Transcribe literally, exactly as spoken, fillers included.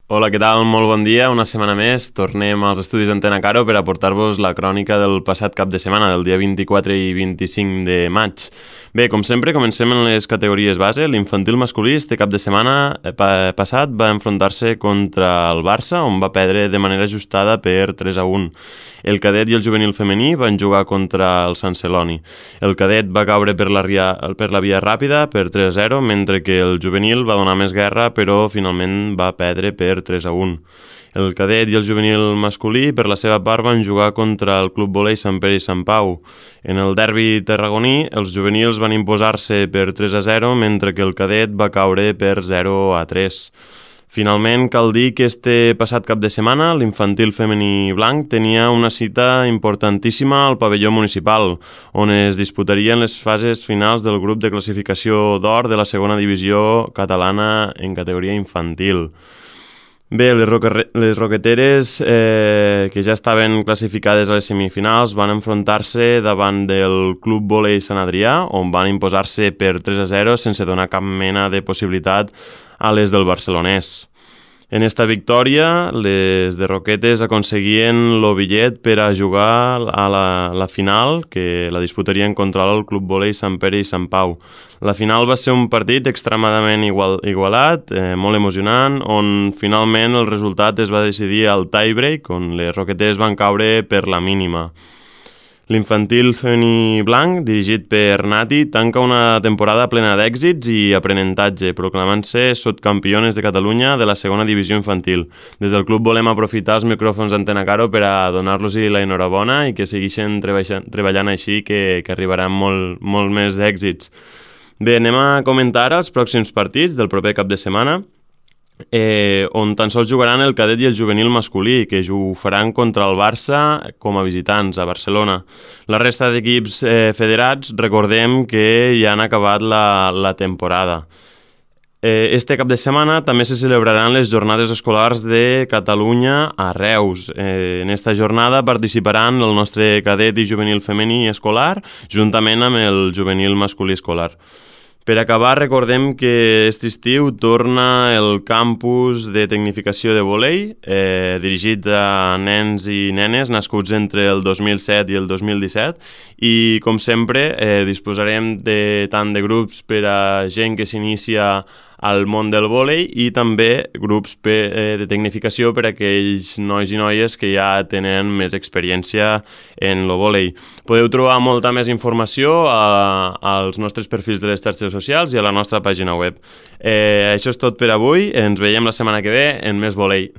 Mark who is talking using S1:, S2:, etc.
S1: Hola, què tal? Molt bon dia. Una setmana més tornem als estudis d'Antena Caro per aportar-vos la crònica del passat cap de setmana, del dia vint-i-quatre i vint-i-cinc de maig. Bé, com sempre, comencem en les categories base. L'infantil masculí este cap de setmana eh, pa passat va enfrontar-se contra el Barça, on va perdre de manera ajustada per tres a un. El cadet i el juvenil femení van jugar contra el Sant Celoni. El cadet va caure per la, ria, per la via ràpida per tres a zero, mentre que el juvenil va donar més guerra, però finalment va perdre per tres a un. El cadet i el juvenil masculí, per la seva part, van jugar contra el Club Volei Sant Pere i Sant Pau. En el derbi tarragoní, els juvenils van imposar-se per tres a zero, mentre que el cadet va caure per zero a tres. Finalment, cal dir que este passat cap de setmana l'infantil femení blanc tenia una cita importantíssima al pavelló municipal, on es disputarien les fases finals del grup de classificació d'or de la segona divisió catalana en categoria infantil. Bé, les, roque, les roqueteres eh, que ja estaven classificades a les semifinals van enfrontar-se davant del Club Volei Sant Adrià, on van imposar-se per tres a zero sense donar cap mena de possibilitat a les del barcelonès. En esta victòria, les de Roquetes aconseguien el bitllet per a jugar a la, la final, que la disputarien contra el Club Volei Sant Pere i Sant Pau. La final va ser un partit extremadament igual, igualat, eh, molt emocionant, on finalment el resultat es va decidir al tie-break, on les Roquetes van caure per la mínima. L'infantil femení blanc, dirigit per Nati, tanca una temporada plena d'èxits i aprenentatge, proclamant-se subcampiones de Catalunya de la segona divisió infantil. Des del club volem aprofitar els micròfons d'Antena Caro per a donar-los-hi la enhorabona i que segueixin treballant així, que, que arribaran molt, molt més èxits. Bé, anem a comentar els pròxims partits del proper cap de setmana. Eh, on tan sols jugaran el cadet i el juvenil masculí, que ho faran contra el Barça com a visitants a Barcelona. La resta d'equips eh, federats, recordem que ja han acabat la, la temporada. Eh, este cap de setmana també se celebraran les jornades escolars de Catalunya a Reus. Eh, en esta jornada participaran el nostre cadet i juvenil femení escolar, juntament amb el juvenil masculí escolar. Per acabar, recordem que aquest estiu torna el campus de tecnificació de volei, eh, dirigit a nens i nenes nascuts entre el dos mil set i el dos mil disset, i com sempre eh, disposarem de tant de grups per a gent que s'inicia al món del vòlei i també grups per, eh, de tecnificació per a aquells nois i noies que ja tenen més experiència en el vòlei. Podeu trobar molta més informació a, als nostres perfils de les xarxes socials i a la nostra pàgina web. Eh, això és tot per avui. Ens veiem la setmana que ve en més vòlei.